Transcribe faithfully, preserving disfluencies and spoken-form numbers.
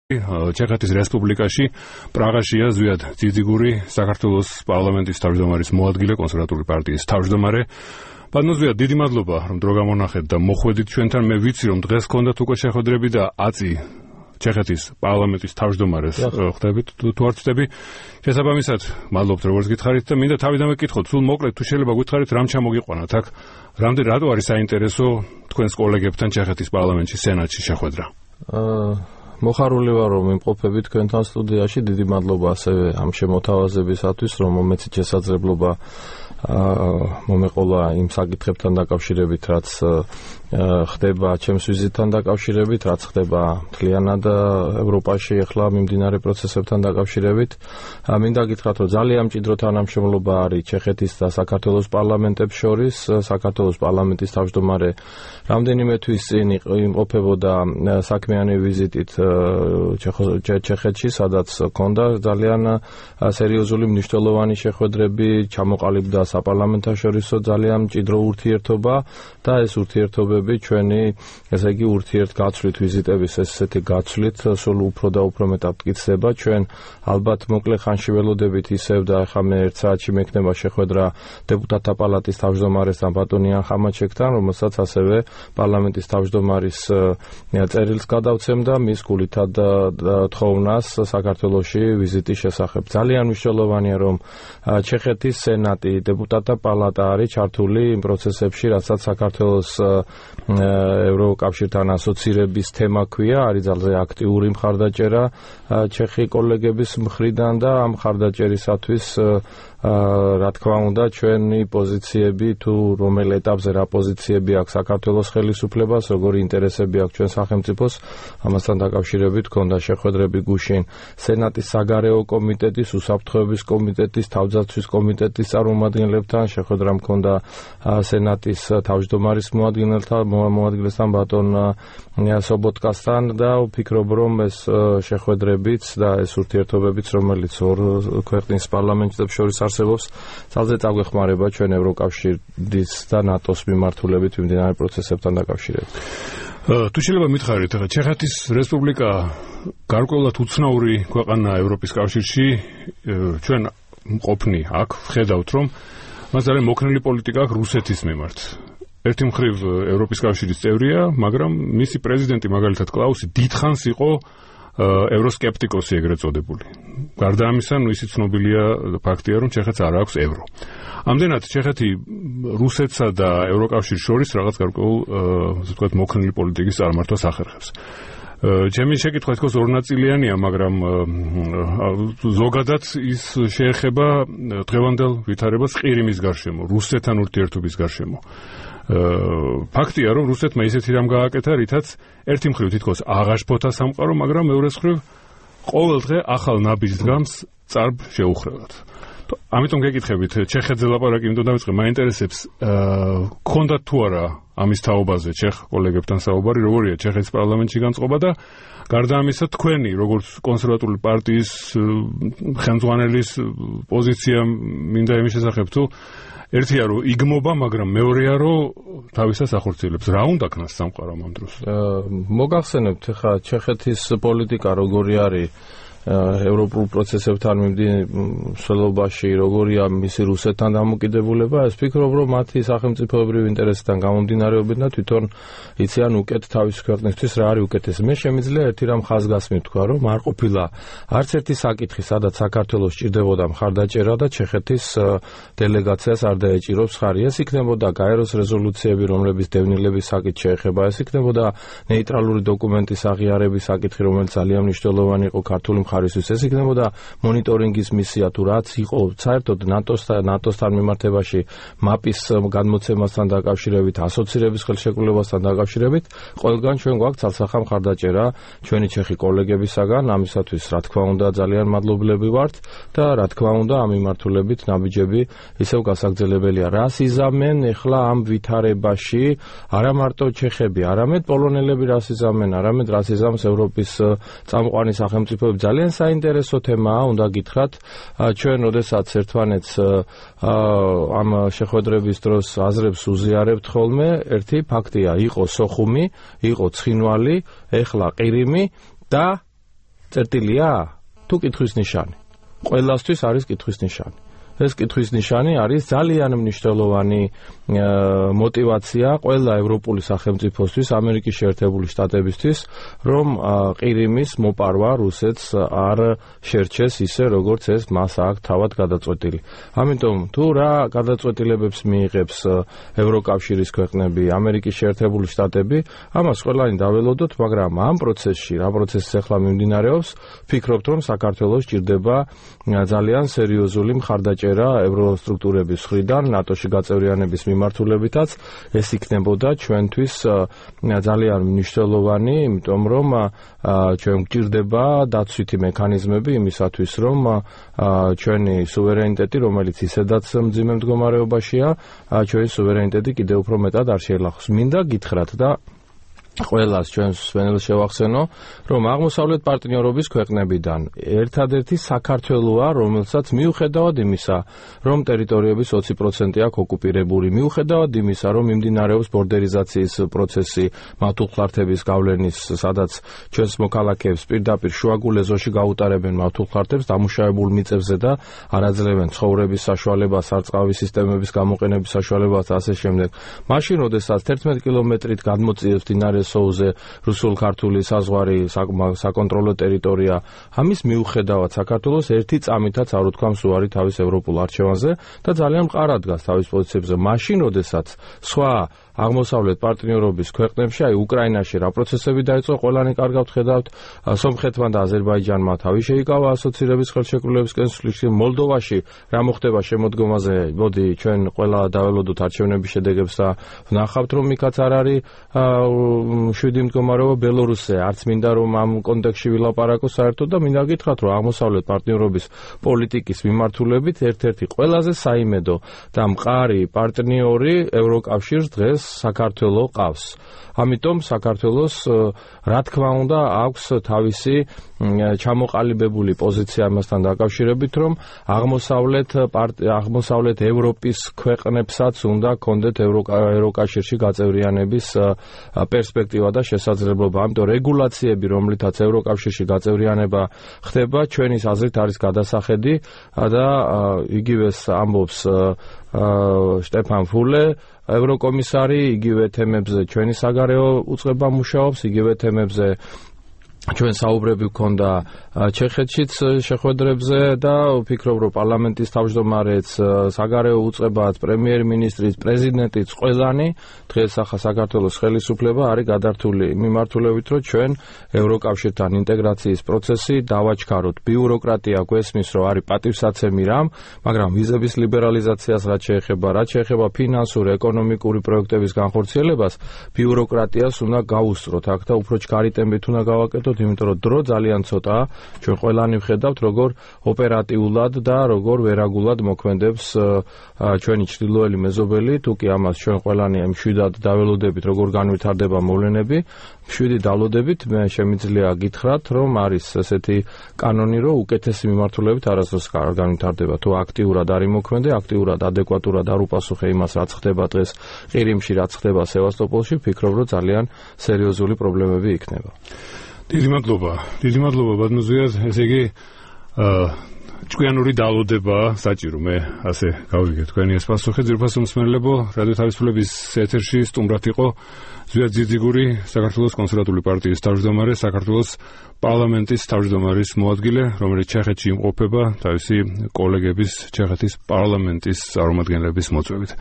ჩეხეთის რესპუბლიკაში პრაღაშია ზვიად ძიძიგური საქართველოს პარლამენტის თავმჯდომარის მოადგილე კონსერვატული პარტიის თავმჯდომარე. ბატონო ზვიად, დიდი მადლობა რომ დრო გამონახეთ და მოხვედით ჩვენთან. მე ვიცი რომ დღეს გქონდათ უკვე შეხვედრები და აწი ჩეხეთის პარლამენტის თავმჯდომარეს ხვდებით თუ არ ვწდები. შესაბამისად, მადლობთ როგორც გითხარით და მინდა თავიდანვე გკითხოთ, სულ მოკლედ თუ შეიძლება გითხარით რამ ჩამოგიყვანათ აქ, რამდენი რატო არის საინტერესო თქვენს კოლეგებთან ჩეხეთის პარლამენტში სენატში შეხვედრა? მოხარული ვარ რომ იმყოფებით თქვენთან სტუდიაში. დიდი მადლობა ასევე ამ შემოთავაზებისათვის, რომ მომეცით შესაძლებლობა მომეყოლა იმ საკითხებთან დაკავშირებით, რაც ხდება ჩემს ვიზიტთან დაკავშირებით, რაც ხდება მთლიანად ევროპაში ახლა მიმდინარე პროცესებთან დაკავშირებით. მინდა გითხრათ, რომ ძალიან მჭიდრო თანამშრომლობა არის ჩეხეთის და საქართველოს პარლამენტებს შორის. საქართველოს პარლამენტის თავმჯდომარე რამდენიმე თვის წინ იმყოფებოდა საქმიანი ვიზიტით ჩეხეთში, სადაც ჰქონდა ძალიან სერიოზული მნიშვნელოვანი შეხვედრები, ჩამოყალიბდა საპარლამენტაშორისო ძალიან მჭიდრო ურთიერთობა და ეს ურთიერთობები ჩვენი, ესე იგი, ურთიერთგაცვლით ვიზიტების ესეთი გაცვლით სულ უფრო და უფრო მეტად მტკიცდება. ჩვენ ალბათ მოკლე ხანში ველოდებით ისევ და ახლა მე ერთ საათში მექნება შეხვედრა დეპუტატთა პალატის თავმჯდომარესთან ბატონ იან ხამაჩეკთან, რომელსაც ასევე პარლამენტის თავმჯდომარის წერილს გადავცემ და მის გულითად თხოვნას საქართველოში ვიზიტის შესახებ. ძალიან მნიშვნელოვანია, რომ ჩეხეთის სენატი, დეპუტატთა პალატა არის ჩართული იმ პროცესებში, რასაც საქართველოს ევროკავშირთან ასოცირების თემა ქვია. არის ძალიან აქტიური მხარდაჭერა ჩეხი კოლეგების მხრიდან და ამ მხარდაჭერისათვის რა თქმა უნდა ჩვენი პოზიციები თუ რომელ ეტაპზე რა პოზიციები აქვს საქართველოს ხელისუფლებას, როგორი ინტერესები აქვს ჩვენ სახელმწიფოს, ამასთან დაკავშირებით ჰქონდა შეხვედრები გუშინ სენატის საგარეო კომიტეტის, უსაფრთხოების კომიტეტის, თავდაცვის კომიტეტის წარმომადგენლებთან, შეხვედრა ჰქონდა სენატის თავმჯდომარის მოადგილესთან ბატონ სობოტკასთან და ვფიქრობ რომ ეს შეხვედრებიც და ეს ურთიერთობებიც, რომელიც ორ ქვეყნის პარლამენტებს შორის არსებობს, ძალზე წაგვეხმარება ჩვენ ევროკავშირის და ნატოს მიმართულებით მიმდინარე პროცესებთან დაკავშირებით. თუ შეიძლება მითხარით, ჩეხეთის რესპუბლიკა გარკვეულად უცნაური ქვეყანაა ევროპის კავშირში. ჩვენ მყოფნი აქ ვხედავთ, რომ მას ძალიან მოქნილი პოლიტიკა აქვს რუსეთის მიმართ. ერთი მხრივ ევროპის კავშირის წევრია, მაგრამ მისი პრეზიდენტი მაგალითად კლაუსი დიდხანს იყო ევროსკეპტიკოსი ეგრეთ წოდებული. გარდა ამისა, ისიც ცნობილია ფაქტია, რომ ჩეხეთს არ აქვს ევრო. ამდენად ჩეხეთი რუსეთსა და ევროკავშირის შორის რაღაც გარკვეულ, ასე ვთქვათ, მოქნილი პოლიტიკის წარმართვას ახერხებს. ჩემი შეკითხვა თქოს ორნაწილიანია, მაგრამ ზოგადად ის შეეხება დღევანდელ ვითარებას ყირიმის გარშემო, რუსეთთან ურთიერთობის გარშემო. ფაქტია, რომ რუსეთმა ისეთი რამ გააკეთა, რითაც ერთი მხრივ თითქოს აღაშფოთა სამყარო, მაგრამ მეორე მხრივ ყოველ დღე ახალ ნაბიჯს დგამს წარბ შეუხრევად. ამიტომ გეკითხებით, ჩეხეთზე ლაპარაკი იმიტომ დავიწყე, მაინტერესებს, გქონდათ თუ არა ამის თაობაზე ჩეხ კოლეგებთან საუბარი, როგორია ჩეხეთის პარლამენტში განწყობა და გარდა ამისა, თქვენი როგორც კონსერვატული პარტიის ხელმძღვანელის პოზიცია მინდა იმის შესახებ, თუ ერთია რომ იგმობა, მაგრამ მეორეა რომ თავისას ახორციელებს. რა უნდა ქნას სამყარომ ამ დროს? მოგახსენებთ ხა ჩეხეთის პოლიტიკა როგორი არის ევროპულ პროცესებთან მიმდინარეობაში, როგორია მისი რუსეთთან დამოკიდებულება. ეს ვფიქრობ, რომ მათი სახელმწიფოებრივი ინტერესიდან გამომდინარეობენ და თვითონ იციან უკეთ თავის ქვეყნისთვის რა არის უკეთესი. მე შემიძლია ერთი რამ ხაზგასმით თქვა, რომ არ ყოფილა არც ერთი საკითხი, სადაც საქართველოს სჭირდებოდა მხარდაჭერა და ჩეხეთის დელეგაციას არ დაეჭიროს ხარი. ეს იქნებოდა გაეროს რეზოლუციები, რომლების დევნილების საკითხი შეეხება, ეს იქნებოდა ნეიტრალური დოკუმენტის აღიარების საკითხი, რომელიც ძალიან მნიშვნელოვანი იყო ქართული მხარისთვის, ეს იქნებოდა მონიტორინგის მისია თუ რაც იყო საერთოდ ნატოსთან ნატოსთან მიმართებაში მაპის განმოცემასთან დაკავშირებით, ასოცირების ხელშეკრულებასთან დაკავშირებით, ყველგან ჩვენ გვაქვს ცალსახა მხარდაჭერა ჩვენი ჩეხი კოლეგებისაგან. ამისათვის რა თქმა უნდა ძალიან მადლობლები ვართ და რა თქმა უნდა ამ მიმართულებით ნაბიჯები ისევ გასაგრძელებელია. რას იზამენ ახლა ამ ვითარებაში არა მარტო ჩეხები, არამედ პოლონელები რას იზამენ, არამედ რას იზამს ევროპის წამყვანი სახელმწიფოები. ძალიან საინტერესო თემაა, უნდა გითხრათ. ჩვენ როდესაც ერთმანეთს ამ შეხვედრების დროს აზრებს უზიარებთ ხოლმე, ერთი ფაქტია, იყო სოხუმი, იყო ცხინვალი, ეხლა ყირიმი და წერტილია თუ კითხვის ნიშანი. ყველასთვის არის კითხვის ნიშანი. ეს კითხვის ნიშანი არის ძალიან მნიშვნელოვანი мотивация ყველა ევროპული სახელმწიფოსთვის, ამერიკის შეერთებული შტატებისთვის, რომ ყირიმის მოპარვა რუსეთს არ შერჩეს ისე, როგორც ეს მას აქვს თავად გადაწყვეტილი. ამიტომ თუ რა გადაწყვეტილებებს მიიღებს ევროკავშირის ქვეყნები, ამერიკის შეერთებული შტატები, ამას ყველანი დაველოდოთ, მაგრამ ამ პროცესში, რა პროცესი ახლა მიმდინარეობს, ვფიქრობთ, რომ საქართველოს ჭირდება ძალიან სერიოზული მხარდაჭერა ევროსტრუქტურების მხრიდან, ნატოში გაწევრიანების მიმართულებითაც, ეს იქნებოდა ჩვენთვის ძალიან მნიშვნელოვანი, იმიტომ რომ ჩვენ გვჭირდება დაცვითი მექანიზმები იმისათვის, რომ ჩვენი სუვერენიტეტი, რომელიც ისედაც მძიმე მდგომარეობაშია, ჩვენი სუვერენიტეტი კიდევ უფრო მეტად არ შეელახოს. მინდა გითხრათ და ყველას ჩვენს სვენელს შევახსენო, რომ აღმოსავლეთ პარტნიორობის ქვეყნებიდან ერთადერთი საქართველოა, რომელსაც მიუხედავად იმისა, რომ ტერიტორიების ოცი პროცენტი აქვს ოკუპირებული, მიუხედავად იმისა, რომ მიმდინარეობს ბორდერიზაციის პროცესი, მავთულხლართების გავლენის, სადაც ჩვენს მოქალაქეებს პირდაპირ შუაგულ ეზოში გაუტარებენ მავთულხლართებს დამუშავებულ მიწებზე და არაძლევენ ცხოვრების საშუალებას, სარწყავი სისტემების გამოყენების საშუალებას და ასე შემდეგ. მაშინ, როდესაც თერთმეტი კილომეტრით გადმოწიებს მდინარე სოუზე რუსულ-ქართული საზღვარი საკონტროლო ტერიტორია, ამის მიუხედავად საქართველოს ერთი წამითაც არ უთქვამს უარი თავის ევროპულ არჩევანზე და ძალიან მყარად დგას თავის პოზიციებზე. მაშინ, როდესაც სხვა აღმოსავლეთ პარტნიორობის ქვეყნებში, აი უკრაინაში რა პროცესები დაიწყო, ყველანი კარგად ხედავთ, სომხეთმა და აზერბაიჯანმა თავი შეიკავა ასოცირების ხელშეკრულების კენსულში, მოლდოვაში რა მოხდება შემოდგომაზე, მოდი ჩვენ ყველა დაველოდოთ არჩევნების შედეგებს და ვნახავთ, რომ იქაც არ არის შვიდი მდგომარეობა. ბელორუსზე არც მინდა რომ ამ კონტექსტში ვილაპარაკო საერთოდ და მინდა გითხრათ, რომ აღმოსავლეთ პარტნიორობის პოლიტიკის მიმართულებით ერთ-ერთი ყველაზე საიმედო და მყარი პარტნიორი ევროკავშირს დღეს საქართველოს ყავს. ამიტომ საქართველოს რა თქმა უნდა აქვს თავისი ჩამოყალიბებული პოზიცია ამასთან დაკავშირებით, რომ აღმოსავლეთ აღმოსავლეთ ევროპის ქვეყნებსაც უნდა კონდეთ ევროკავშირში გაწევრიანების პერსპექტივა და შესაძლებლობა. ამიტომ რეგულაციები, რომლითაც ევროკავშირში გაწევრიანება ხდება, ჩვენის აზრით არის გადასახედი და იგივეს ამბობს შტეფან ფულე, ევროკომისარი, იგივე თემებზე ჩვენი საგარეო უწყება მუშაობს, იგივე თემებზე ჩვენ საუბრები გქონდა ჩეხეთშიც შეხვედრებზე და ვფიქრობ, რომ პარლამენტის თავმჯდომარეც, საგარეო უწყებაც, პრემიერ-მინისტრიც, პრეზიდენტიც, ყველანი დღეს ახლა საქართველოს ხელისუფლება არის გადართული მიმართულებით, რომ ჩვენ ევროკავშირთან ინტეგრაციის პროცესი დავაჩქაროთ. ბიუროკრატია გვესმის, რომ არის პატივსაცემი რამ, მაგრამ ვიზების ლიბერალიზაციას რაც შეეხება, რაც შეეხება ფინანსურ, ეკონომიკური პროექტების განხორციელებას, ბიუროკრატიას უნდა გაუსწროთ აქ და უფრო ჩქარი ტემპით უნდა გავაკეთოთ, იმიტომ რომ დრო ძალიან ცოტაა. ჩვენ ყველანი ვხედავთ, როგორ ოპერატიულად და როგორ ვერაგულად მოქმედებს ჩვენი ჩრდილოელი მეზობელი, თუ კი ამას ჩვენ ყველანი მშვიდად დაველოდებით, როგორ განვითარდება მოვლენები, მშვიდი დავლოდებით, მე შემიძლია გითხრათ, რომ არის ესეთი კანონი, რომ უკეთესი მიმართულებით არასდროს არ განვითარდება. თუ აქტიურად არის მოქმედი, აქტიურად, ადეკვატურად არ უპასუხე იმას, რაც ხდება დღეს ყირიმში, რაც ხდება სევასტოპოლში, ვფიქრობ, რომ ძალიან სერიოზული პრობლემები იქნება. დიდი მადლობა. დიდი მადლობა ბატონო, ესე იგი ჭკვიანური დალოდება საჭირო, მე ასე გავიგე თქვენი ეს პასუხი. ძვირფასო მსმენელებო, რადიო თავისუფლების ეთერში სტუმრად იყო ზვიად ძიძიგური, საქართველოს კონსერვატული პარტიის თავმჯდომარე, საქართველოს პარლამენტის თავმჯდომარის მოადგილე, რომელიც ჩეხეთში იმყოფება თავისი კოლეგების, ჩეხეთის პარლამენტის წარმომადგენლების მოწვევით.